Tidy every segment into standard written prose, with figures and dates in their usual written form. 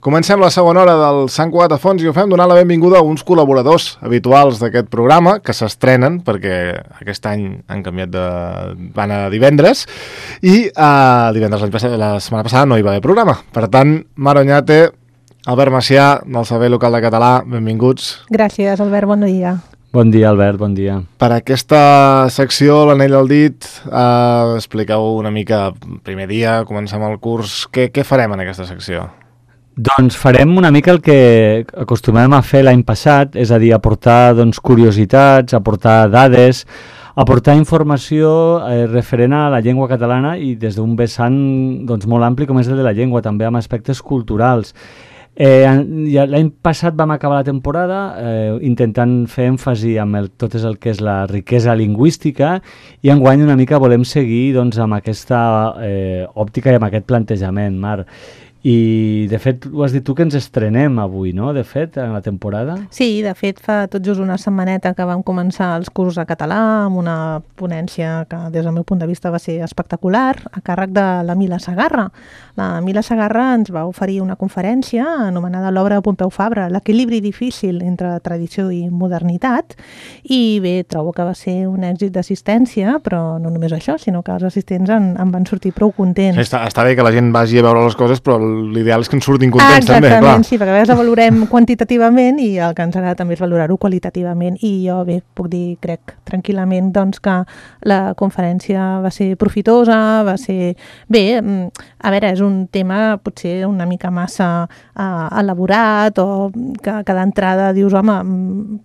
Comencem la segona hora del Sant Cugat a Fons i ho fem donant la benvinguda a uns col·laboradors habituals d'aquest programa que s'estrenen perquè aquest any han canviat van a divendres i divendres la setmana passada no hi va haver programa. Per tant, Mar Oñate, Albert Macià, del Servei Local de Català, benvinguts. Gràcies, Albert, bon dia. Bon dia, Albert, bon dia. Per aquesta secció, l'anell al dit, expliqueu una mica, primer dia, comencem el curs, què farem en aquesta secció? Doncs farem una mica el que acostumem a fer l'any passat, és a dir, aportar curiositats, aportar dades, aportar informació referent a la llengua catalana i des d'un vessant molt ampli com és el de la llengua, també amb aspectes culturals. L'any passat vam acabar la temporada intentant fer èmfasi amb tot el que és la riquesa lingüística i enguany una mica volem seguir amb aquesta òptica i amb aquest plantejament, Mar. I, de fet, ho has dit tu que ens estrenem avui, no?, de fet, en la temporada? Sí, de fet, fa tot just una setmaneta que vam començar els cursos de català amb una ponència que, des del meu punt de vista, va ser espectacular, a càrrec de la Mila Segarra. La Mila Segarra ens va oferir una conferència anomenada l'obra de Pompeu Fabra, l'equilibri difícil entre tradició i modernitat, i bé, trobo que va ser un èxit d'assistència, però no només això, sinó que els assistents en van sortir prou contents. Sí, està bé que la gent vagi a veure les coses, però l'ideal és que ens surtin contents també, clar. Exactament, sí, perquè a vegades la valorem quantitativament i el que ens agrada també és valorar-ho qualitativament i jo bé, puc dir, crec tranquil·lament que la conferència va ser profitosa, va ser... Bé, a veure, és un tema potser una mica massa elaborat o que d'entrada dius, home,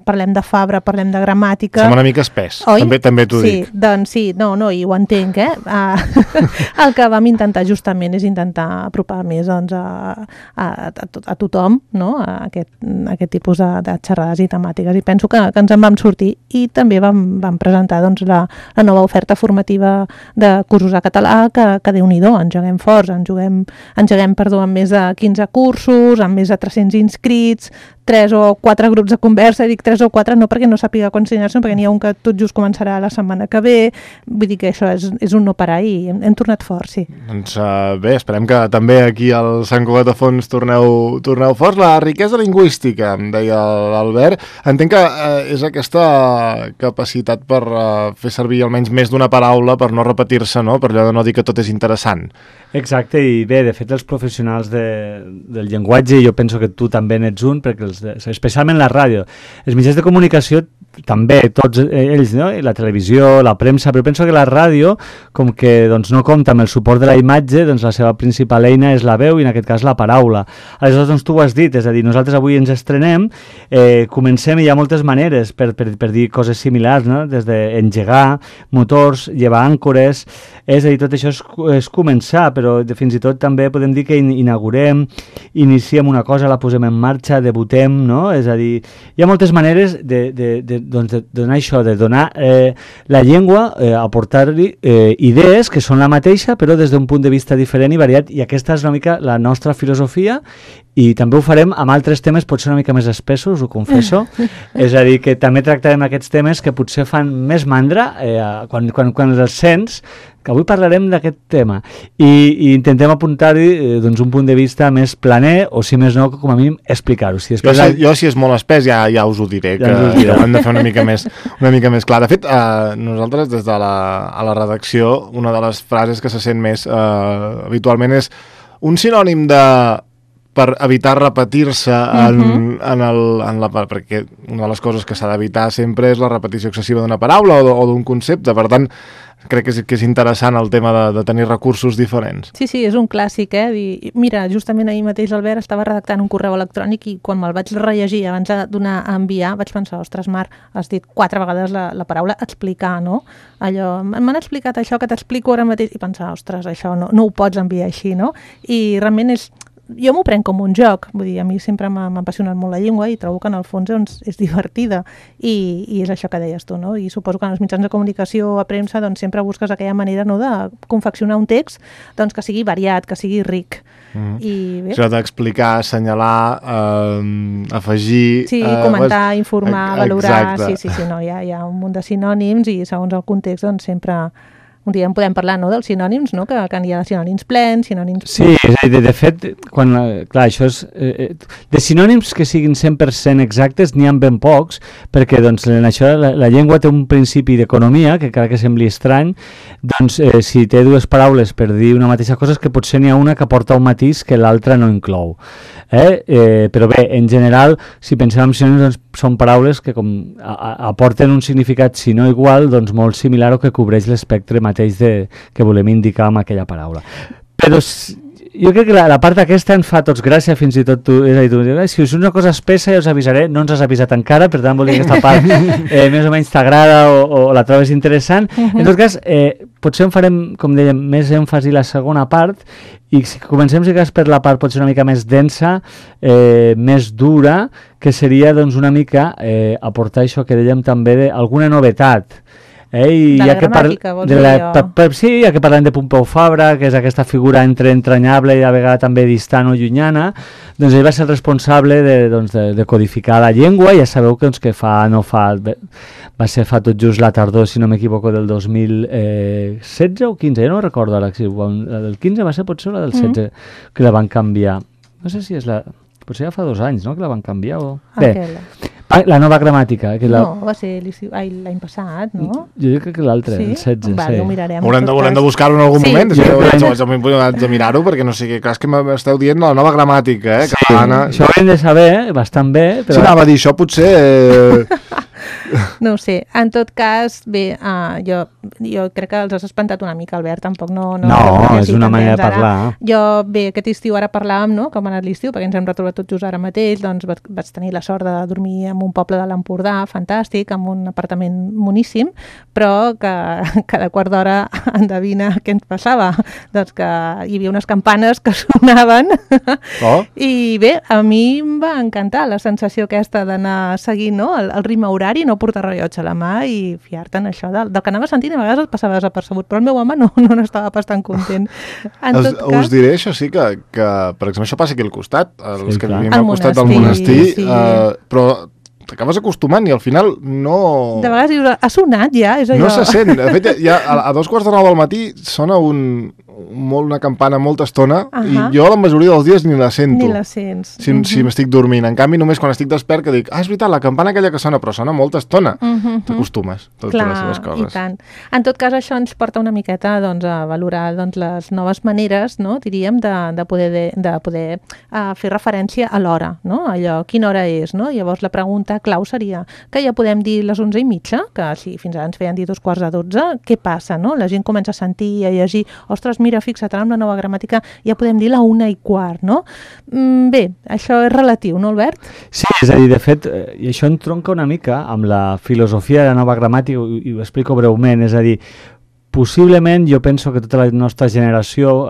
parlem de Fabra, parlem de gramàtica... Sembla una mica espès, també t'ho dic. Sí, doncs sí, no, i ho entenc, El que vam intentar justament és intentar apropar més a tothom, no?, a aquest tipus de xerrades i temàtiques, i penso que ens en vam sortir i també vam presentar la nova oferta formativa de cursos de català que Déu-n'hi-do, engeguem forts, engeguem amb més de 15 cursos, amb més de 300 inscrits, 3 o 4 grups de conversa, dic 3 o 4 no perquè no sàpiga quan ensenyar-se, perquè n'hi ha un que tot just començarà la setmana que ve, vull dir que això és un no parar i hem tornat forts, sí. Doncs bé, esperem que també aquí al Sant Cugat a Fons torneu forts. La riquesa lingüística, em deia l'Albert, entenc que és aquesta capacitat per fer servir almenys més d'una paraula per no repetir-se, no?, per allò de no dir que tot és interessant. Exacte, i bé, de fet els professionals del llenguatge, jo penso que tu també n'ets un, perquè especialment la ràdio, els mitjans de comunicació també, tots ells, no?, la televisió, la premsa, però penso que la ràdio, com que no compta amb el suport de la imatge, la seva principal eina és la veu i en aquest cas la paraula. Aleshores, tu ho has dit, és a dir, nosaltres avui ens estrenem, comencem i hi ha moltes maneres per dir coses similars, no?, des d'engegar motors, llevar àncores, és a dir, tot això és començar, però fins i tot també podem dir que inaugurem, iniciem una cosa, la posem en marxa, debutem, no?, és a dir, hi ha moltes maneres de donar això, de donar la llengua, aportar-li idees que són la mateixa, però des d'un punt de vista diferent i variat, i aquesta és una mica la nostra filosofia, i també ho farem amb altres temes potser una mica més espessos, ho confesso, és a dir, que també tractarem aquests temes que potser fan més mandra quan els sents, que avui parlarem d'aquest tema, i intentem apuntar-hi un punt de vista més planer, o si més no, com a mínim explicar-ho. Jo si és molt espès ja us ho diré, que ho hem de fer una mica més clar. De fet, nosaltres des de la redacció, una de les frases que se sent més habitualment és un sinònim per evitar repetir-se perquè una de les coses que s'ha d'evitar sempre és la repetició excessiva d'una paraula o d'un concepte, per tant crec que és interessant el tema de tenir recursos diferents. Sí, és un clàssic, Mira, justament ahir mateix l'Albert estava redactant un correu electrònic i quan me'l vaig rellegir abans de donar a enviar vaig pensar, ostres, Marc, has dit 4 vegades la paraula explicar, no? Allò, m'han explicat això que t'explico ara mateix i pensar, ostres, això no ho pots enviar així, no? I realment jo m'ho prenc com un joc, vull dir, a mi sempre m'ha apassionat molt la llengua i trobo que en el fons és divertida i és això que deies tu, no? I suposo que en els mitjans de comunicació a premsa sempre busques aquella manera, no?, de confeccionar un text que sigui variat, que sigui ric. I bé, això d'explicar, assenyalar, afegir... Sí, comentar, informar, valorar... Exacte. Sí, no, hi ha un munt de sinònims i segons el context sempre un dia en podem parlar, no?, dels sinònims, no?, que hi ha sinònims plens, sinònims... Sí, és a dir, de fet, clar, això és... de sinònims que siguin 100% exactes n'hi ha ben pocs, perquè doncs, en això la llengua té un principi d'economia, que encara que sembli estrany, doncs si té dues paraules per dir una mateixa cosa, és que potser n'hi ha una que aporta un matís que l'altra no inclou. Però bé, en general, si pensem en sinònims, doncs, són paraules que com aporten un significat, si no igual, doncs molt similar o que cobreix l'espectre mateix que volem indicar amb aquella paraula. Però jo crec que la part aquesta ens fa tots gràcia, fins i tot tu, és a dir, si us una cosa espessa ja us avisaré, no ens has avisat encara, per tant vol dir que aquesta part més o menys t'agrada o la trobes interessant. En tot cas, potser en farem, com dèiem, més èmfasi la segona part, i si comencem per la part potser una mica més densa, més dura, que seria doncs una mica aportar això que dèiem també d'alguna novetat. De la gramàtica, vols dir jo? Sí, ja que parlem de Pompeu Fabra, que és aquesta figura entre entranyable i a vegades també distant o llunyana, doncs ell va ser el responsable de codificar la llengua. Ja sabeu que va ser fa tot just la tardor, si no m'equivoco, del 2016 o 15, ja no recordo ara, la del 15 va ser potser la del 16, que la van canviar. No sé si és potser ja fa 2 anys, no?, que la van canviar o... Bé, la nova gramàtica. No, va ser l'any passat, no? Jo crec que l'altre, el 16. Va, ho mirarem. Haurem de buscar-ho en algun moment. Haig de mirar-ho, perquè no sé, clar, és que m'esteu dient la nova gramàtica, catalana. Això ho hem de saber, bastant bé. Sí, anava a dir, això potser... No ho sé, en tot cas, bé, jo crec que els has espantat una mica, Albert, tampoc no... No, és una manera de parlar. Jo, bé, aquest estiu ara parlàvem, no?, com ha anat l'estiu, perquè ens hem retrobat tots just ara mateix, doncs vaig tenir la sort de dormir en un poble de l'Empordà, fantàstic, amb un apartament moníssim, però que cada quart d'hora endevina què ens passava. Doncs que hi havia unes campanes que sonaven i bé, a mi em va encantar la sensació aquesta d'anar seguint, no?, el ritme horari, no portar rellotge a la mà i fiar-te en això del que anava sentint, i a vegades et passava desapercebut, però el meu home no n'estava bastant content. Us diré, això sí, que per exemple, això passa aquí al costat, els que vivim al costat del monestir, però t'acabes acostumant i al final no... De vegades dius, ha sonat ja? És allò... No se sent. De fet, ja a 2:45 del matí sona una campana molta estona i jo la majoria dels dies ni la sento. Ni la sents. Si m'estic dormint. En canvi, només quan estic despert que dic, és veritat, la campana aquella que sona, però sona molta estona. T'acostumes a les seves coses. I tant. En tot cas, això ens porta una miqueta a valorar les noves maneres, no?, diríem, de poder fer referència a l'hora, no?, allò, quina hora és, no? Llavors la pregunta clau seria que ja podem dir les 11:30, que si fins ara ens feien dir 11:45, què passa, no? La gent comença a sentir i a llegir, ostres, mira, fixa't, ara amb la nova gramàtica ja podem dir la 1:15, no? Bé, això és relatiu, no, Albert? Sí, és a dir, de fet, i això entronca una mica amb la filosofia de la nova gramàtica, i ho explico breument, és a dir, possiblement jo penso que tota la nostra generació,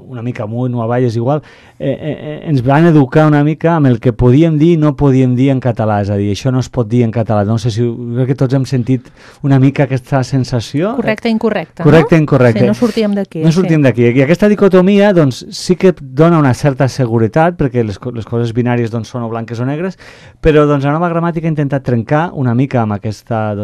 una mica amunt o avall és igual, ens van educar una mica amb el que podíem dir i no podíem dir en català, és a dir, això no es pot dir en català. No sé si crec que tots hem sentit una mica aquesta sensació. Correcte i incorrecte, correcte, no? Incorrecte. Sí, no sortíem d'aquí. No sortíem d'aquí. I aquesta dicotomia doncs, sí que dona una certa seguretat, perquè les coses binàries doncs, són o blanques o negres, però doncs, la nova gramàtica ha intentat trencar una mica amb aquesta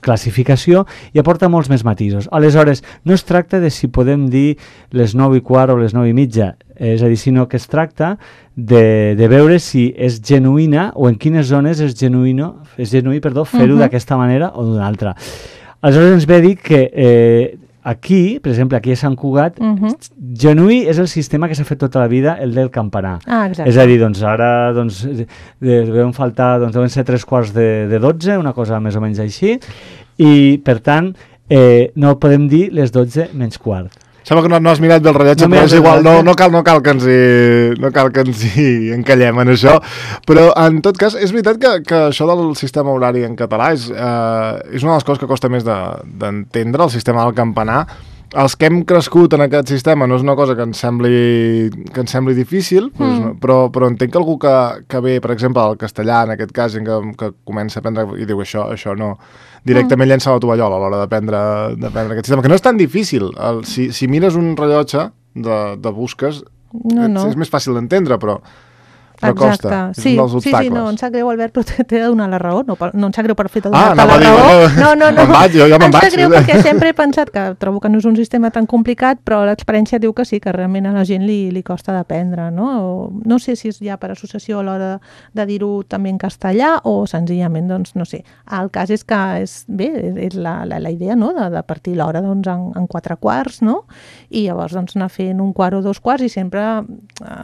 classificació i aporta molts més matisos. Aleshores, no es tracta de si podem dir les 9:15 o les 9:30, és a dir, sinó que es tracta de veure si és genuïna o en quines zones és genuí fer-ho d'aquesta manera o d'una altra. Aleshores ens ve a dir que aquí, per exemple, aquí a Sant Cugat, genuí és el sistema que s'ha fet tota la vida, el del campanar. És a dir, doncs ara deuen faltar, deuen ser 11:45, una cosa més o menys així, i per tant no podem dir les 12:15. Sembla que no has mirat bé el rellotge, però és igual, no cal que ens hi encallem en això, però en tot cas és veritat que això del sistema horari en català és una de les coses que costa més d'entendre, el sistema del campanar. Els que hem crescut en aquest sistema no és una cosa que ens sembli difícil, però entenc que algú que ve, per exemple, al castellà, en aquest cas, que comença a aprendre i diu això no, directament llença la tovallola a l'hora d'aprendre aquest sistema, que no és tan difícil. Si mires un rellotge de busques, és més fàcil d'entendre, però però costa. Sí, és un dels obstacles. no, em sap greu, Albert, però t'he de donar la raó. No em sap greu per fer-te Ah, donar-te la raó. No. Me'n vaig, jo me'n vaig. Em sap greu perquè sempre he pensat que trobo que no és un sistema tan complicat, però l'experiència diu que sí, que realment a la gent li costa d'aprendre, no? No sé si és ja per associació a l'hora de dir-ho també en castellà o senzillament, doncs, no sé. El cas és que és la idea, no?, de partir l'hora doncs, en 4 quarts, no? I llavors doncs, anar fent un quart o 2 quarts i sempre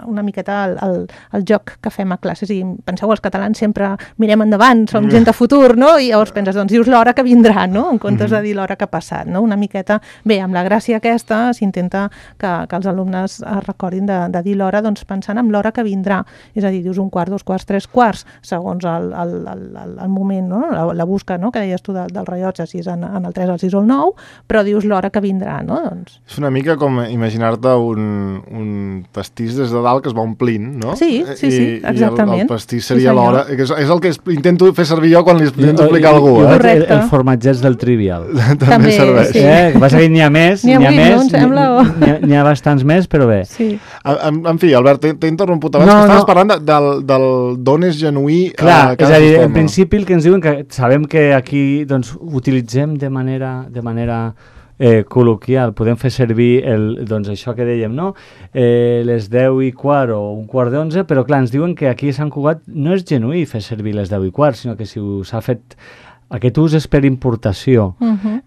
una miqueta el joc que fem a classes. I penseu, els catalans sempre mirem endavant, som gent de futur, no? I llavors penses, doncs dius l'hora que vindrà, no? En comptes de dir l'hora que ha passat, no? Una miqueta, bé, amb la gràcia aquesta s'intenta que els alumnes es recordin de dir l'hora doncs, pensant en l'hora que vindrà. És a dir, dius un quart, 2 quarts, 3 quarts, segons el moment, no? La busca, no?, que deies tu del rellotge, si és en el 3, el 6 o el 9, però dius l'hora que vindrà, no? Doncs... És una mica com imaginar-te un pastís des de dalt que es va omplint, no? Sí, exactament. I el pastís seria l'hora. És el que intento fer servir jo quan li intento explicar a algú. El formatgeig del Trivial. També serveix. Sí. Que passa que n'hi ha més, n'hi ha bastants més, però bé. Sí. En fi, Albert, t'he interromput abans, que estaves parlant del d'on és genuí. Clar, és a dir, en principi el que ens diuen, que sabem que aquí doncs, utilitzem de manera col·loquial, podem fer servir doncs això que dèiem, no? Les 10:15 o un quart d'11, però clar, ens diuen que aquí a Sant Cugat no és genuí fer servir les 10:15, sinó que si s'ha fet aquest ús és per importació.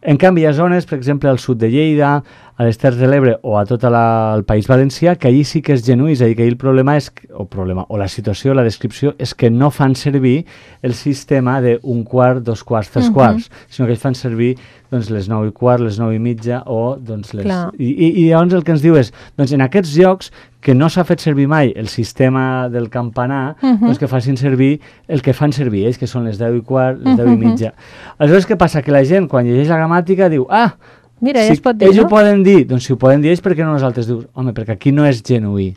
En canvi, hi ha zones, per exemple, al sud de Lleida, a les Terres de l'Ebre o a tot el País Valencià, que allí sí que és genuí, és a dir, que allí el problema és, o la situació, la descripció, és que no fan servir el sistema d'un quart, 2 quarts, 3 quarts, sinó que ells fan servir doncs, les 9:15, les 9:30 o doncs, les... I llavors el que ens diu és, doncs en aquests llocs que no s'ha fet servir mai el sistema del campanar, doncs que facin servir el que fan servir ells, que són les 10:15, les 10:30. Aleshores, què passa? Que la gent, quan llegeix la gramàtica, diu, mira, si ja es pot dir, ells ho poden dir, doncs si ho poden dir ells, per què no nosaltres? Dius, home, perquè aquí no és genuí.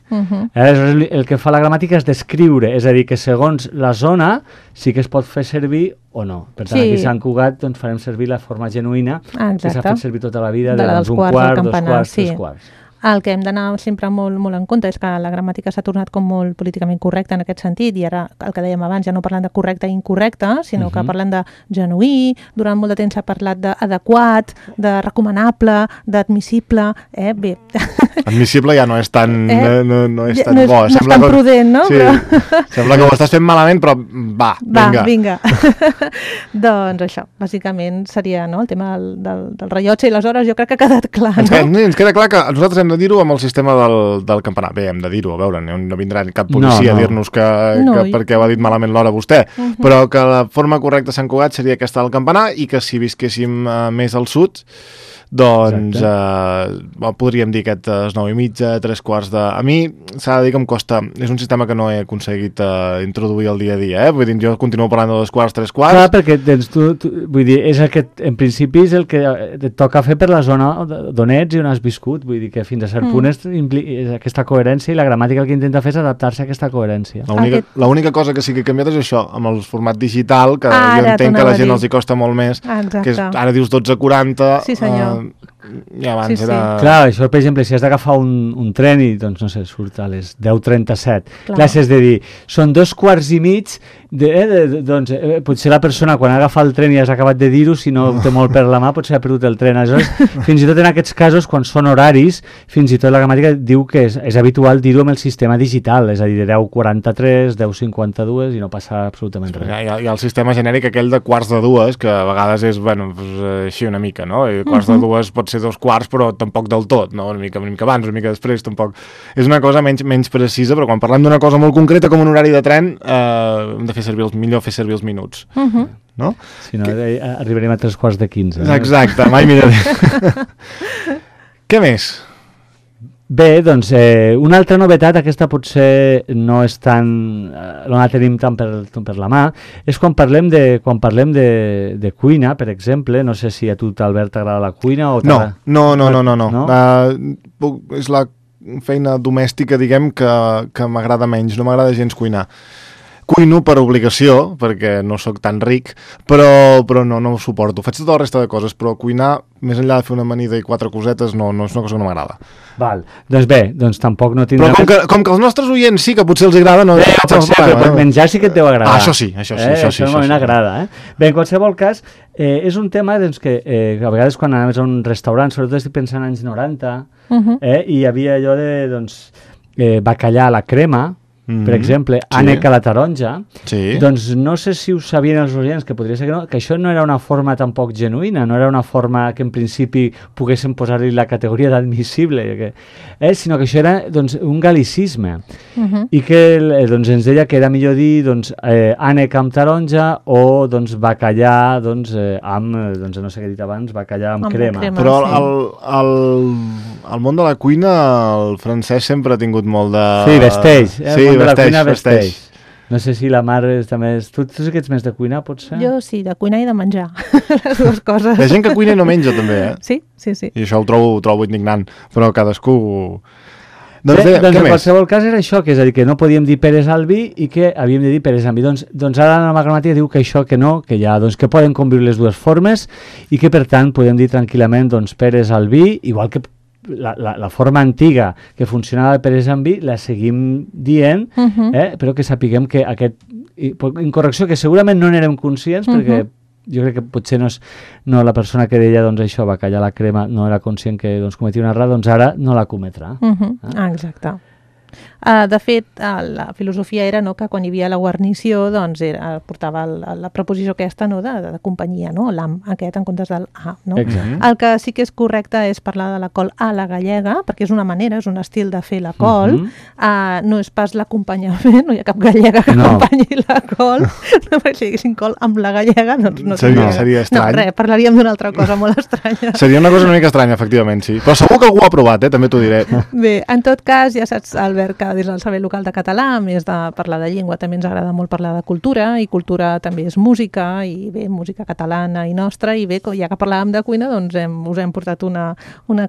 Aleshores, el que fa la gramàtica és descriure, és a dir, que segons la zona sí que es pot fer servir o no. Per tant, aquí a Sant Cugat doncs, farem servir la forma genuïna que s'ha fet servir tota la vida, doncs, un quart, 2 quarts, 3 quarts. El que hem d'anar sempre molt en compte és que la gramàtica s'ha tornat com molt políticament correcta en aquest sentit, i ara el que dèiem abans ja no parlant de correcte i incorrecte, sinó que parlant de genuí, durant molt de temps s'ha parlat d'adequat, de recomanable, d'admissible, bé. Admissible ja no és tan, no és tan bo. No és tan prudent, no? Sí, sembla que ho estàs fent malament, però vinga. Doncs això, bàsicament seria el tema del rellotge i les hores, jo crec que ha quedat clar, no? Ens queda clar que nosaltres hem de dir-ho amb el sistema del campanar. Bé, hem de dir-ho, a veure, no vindrà cap policia a dir-nos que perquè ho ha dit malament l'hora vostè, però que la forma correcta a Sant Cugat seria aquesta del campanar, i que si visquéssim més al sud, doncs podríem dir aquestes 9:30, 3 quarts de... A mi s'ha de dir que em costa, és un sistema que no he aconseguit introduir al dia a dia, vull dir, jo continuo parlant de 2 quarts, 3 quarts. Clar, perquè vull dir, és aquest, en principi és el que et toca fer per la zona d'on ets i on has viscut, vull dir que fins a cert punt és aquesta coherència, i la gramàtica el que intenta fer és adaptar-se a aquesta coherència. L'única cosa que sí que he canviat és això, amb el format digital, que jo entenc que a la gent els hi costa molt més, que és, ara dius 12:40, sí senyor. I abans era... Clar, això, per exemple, si has d'agafar un tren i, doncs, no sé, surt a les 10:37. Clar, si has de dir, són 2 quarts i mig, doncs potser la persona, quan agafa el tren i has acabat de dir-ho, si no té molt per la mà, potser ha perdut el tren. Aleshores, fins i tot en aquests casos, quan són horaris, fins i tot la gramàtica diu que és habitual dir-ho amb el sistema digital, és a dir, de 10:43, 10:52, i no passa absolutament res. Hi ha el sistema genèric aquell de quarts de dues, que a vegades és, així una mica, no? I quarts de dues pot ser 2 quarts, però tampoc del tot, no? Una mica abans, una mica després, tampoc. És una cosa menys precisa, però quan parlem d'una cosa molt concreta com un horari de tren, hem de fer servir els minuts. No? Si no, arribarem a 3:15. Exacte, mai miraré. Què més? Bé, doncs, una altra novetat, aquesta potser no és tan... no la tenim tant per la mà, és quan parlem de cuina, per exemple. No sé si a tu, Albert, t'agrada la cuina o... No. És la feina domèstica, diguem, que m'agrada menys. No m'agrada gens cuinar. cuino per obligació, perquè no sóc tan ric, però no ho suporto. Faig tota la resta de coses, però cuinar, més enllà de fer una amanida i 4 cosetes, no és una cosa que no m'agrada. Val. Doncs bé, tampoc no tindrà... Però com que els nostres oients sí que potser els agrada, no... Però menjar sí que et deu agradar. Això sí. Això normalment agrada, Bé, en qualsevol cas, és un tema que a vegades quan anaves a un restaurant, sobretot estic pensant en anys 90, i hi havia allò de bacallà a la crema, per exemple, ànec a la taronja, doncs no sé si ho sabien els oients, que podria ser que això no era una forma tampoc genuïna, no era una forma que en principi poguessin posar-li la categoria d'admissible, sinó que això era un gal·licisme, i que ens deia que era millor dir ànec amb taronja o bacallà amb, no sé què he dit abans, bacallà amb crema. Però al món de la cuina el francès sempre ha tingut molt de... Sí, vesteix. Sí, vesteix. No sé si la Mar també és... Tu sí que ets més de cuinar, potser? Jo sí, de cuinar i de menjar. Les dues coses. Hi ha gent que cuina i no menja, també, Sí. I això ho trobo indignant, però cadascú... Doncs en qualsevol cas era això, que és a dir, que no podíem dir peres al vi i que havíem de dir peres al vi. Doncs ara la nova gramàtica diu que això que no, que ja que poden conviure les dues formes i que per tant podem dir tranquil·lament peres al vi, igual que la forma antiga que funcionava per amb vi la seguim dient, però que sapiguem que aquest incorrecció, que segurament no n'érem conscients, perquè jo crec que potser no la persona que deia això, bacallà a la crema, no era conscient que cometia una errada, doncs ara no la cometrà. Exacte. De fet, la filosofia era que quan hi havia la guarnició portava la preposició aquesta de companyia, l'am aquest en comptes del a. El que sí que és correcte és parlar de la col a la gallega, perquè és una manera, és un estil de fer la col, no és pas l'acompanyament, no hi ha cap gallega que acompanyi la col, perquè si haguessin col amb la gallega, doncs no seria estrany. No, res, parlaríem d'una altra cosa molt estranya. Seria una cosa una mica estranya, efectivament, sí. Però segur que algú ho ha provat, també t'ho diré. Bé, en tot cas, ja saps, Albert, que des del Saber Local de Català, a més de parlar de llengua, també ens agrada molt parlar de cultura, i cultura també és música, i bé, música catalana i nostra, i bé, ja que parlàvem de cuina, doncs us hem portat una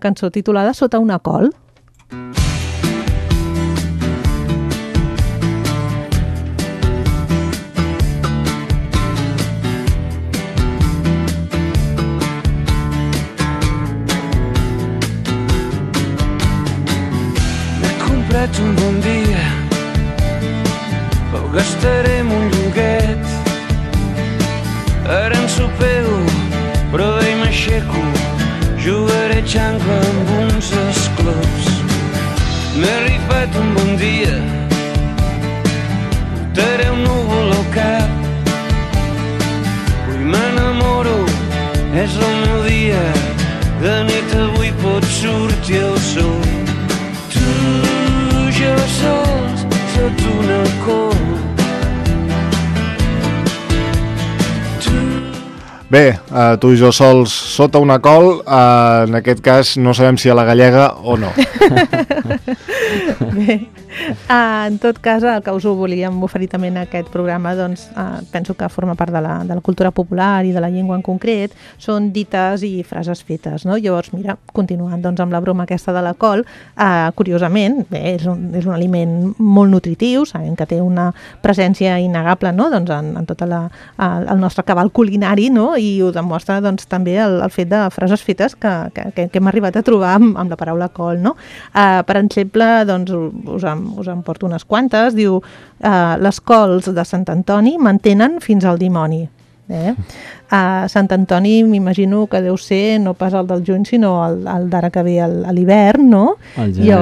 cançó titulada Sota una col. Un bon dia el gastarem un lloguet, ara en sopeu però d'ahir m'aixeco, jugaré xancla amb uns esclops. M'he rifat un bon dia, portaré un núvol al cap, avui m'enamoro, és el meu dia, de nit avui pot sortir el sol. Jo sols sota una col. Bé, tu i jo sols sota una col, en aquest cas no sabem si a la gallega o no. Bé, en tot cas, el que us ho volíem oferir també en aquest programa, doncs penso que forma part de la cultura popular i de la llengua en concret, són dites i frases fetes, no? Llavors, mira, continuant doncs, amb la broma aquesta de la col, curiosament, bé, és un aliment molt nutritiu, sabem que té una presència innegable, no? Doncs en tot el nostre cabal culinari, no? I ho demostra doncs, també el fet de frases fetes que hem arribat a trobar amb la paraula col, no? Per exemple, doncs, us en porto unes quantes, diu les cols de Sant Antoni mantenen fins al dimoni. Sant Antoni m'imagino que deu ser no pas el del juny sinó el d'ara que ve a l'hivern, no? El gener.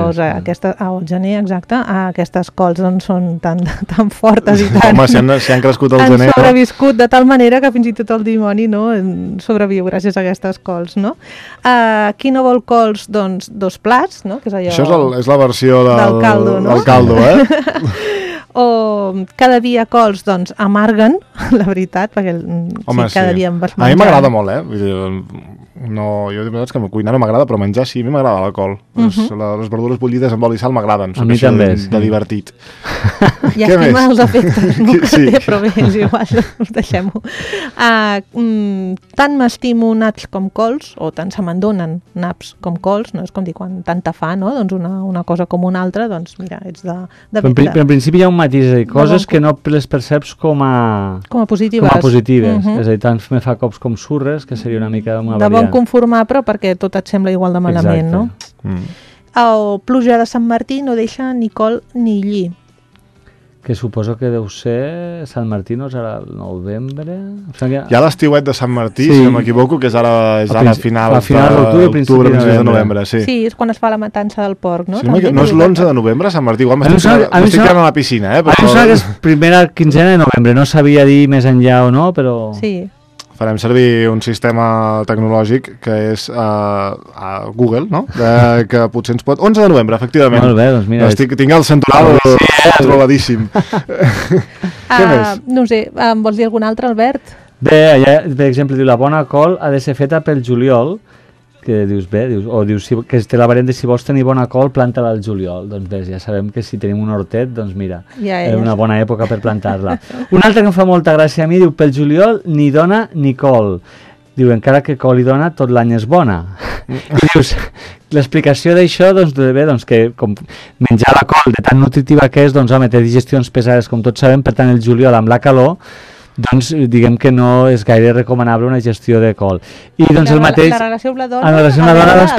El gener, exacte. Aquestes cols doncs, són tan fortes i tan... Home, si han crescut al gener... Han sobreviscut de tal manera que fins i tot el dimoni sobreviu gràcies a aquestes cols, no? Qui no vol cols, doncs 2 plats, no? Que és allò... Això és la versió del caldo, no? Del caldo, O cada dia cols, doncs, amarguen, la veritat, perquè home, cada dia em vas menjar... A mi m'agrada molt, Vull dir, No, jo de veritat que cuinar no m'agrada, però menjar sí, a mi m'agrada la col. Les verdures bullides amb oli i sal m'agraden. A mi també, de divertit. Llàstima els efectes, no? Sí. Però bé, és igual, deixem-ho. Tant m'estimo naps com cols, o tant se me'n donen naps com cols, no? És com dir, quan tanta fa, no? Doncs una cosa com una altra, doncs mira, ets de Però en principi hi ha un matís, és a dir, coses que no les perceps com a positives. És a dir, tant me fa cops com surres, que seria una mica una de bon variant. conformar, però perquè tot et sembla igual de malament, no? El pluja de Sant Martí no deixa ni col ni lli. Que suposo que deu ser Sant Martí, no serà el novembre? Hi ha l'estiuet de Sant Martí, Sí. si no m'equivoco, que és ara final d'octubre, principi de novembre. Sí. Sí, és quan es fa la matança del porc, no? Si no és l'11 de novembre, Sant Martí? Igual m'estic quedant a la piscina, A mi em sembla que és primera quinzena de novembre, no sabia dir més enllà o no, però... Sí. Farem servir un sistema tecnològic que és a Google, no? Que potser ens pot... 11 de novembre, efectivament. Molt bé, doncs mira... Tinc el central trobadíssim. Què més? No ho sé, vols dir algun altre, Albert? Bé, allà, per exemple, diu la bona col ha de ser feta pel juliol, que dius bé, dius que té la variant de si vols tenir bona col, planta-la al juliol. Doncs bé, ja sabem que si tenim un hortet, doncs mira, és una bona època per plantar-la. Un altre que em fa molta gràcia a mi, diu, pel juliol ni dona ni col. Diu, encara que col i dona, tot l'any és bona. I dius, l'explicació d'això, doncs bé, doncs que com menjar la col de tan nutritiva que és, doncs home, té digestions pesades, com tots sabem, per tant el juliol amb la calor, doncs diguem que no és gaire recomanable una gestió de col. I doncs el mateix... La relació amb la dona... En la relació amb la dona, doncs,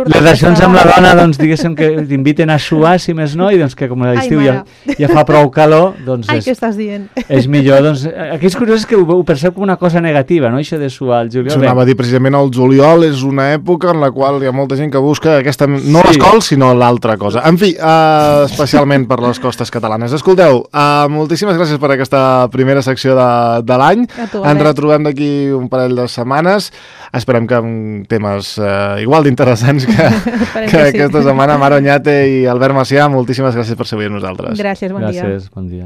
les relacions amb la dona, doncs diguéssim que t'inviten a suar, si més no, i doncs que com a l'estiu ja fa prou calor, doncs què estàs dient? És millor, doncs... Aquí és curiós que ho percep com una cosa negativa, no?, això de suar al juliol. Anava a dir, precisament el juliol és una època en la qual hi ha molta gent que busca aquesta, no les cols, sinó l'altra cosa. En fi, especialment per les costes catalanes. Escolteu, moltíssimes gràcies per aquesta primera secció de l'any. Ens retrobem d'aquí un parell de setmanes. Esperem que amb temes igual d'interessants que aquesta setmana. Mara Oñate i Albert Macià, moltíssimes gràcies per ser avui amb nosaltres. Gràcies, bon dia. Gràcies, bon dia.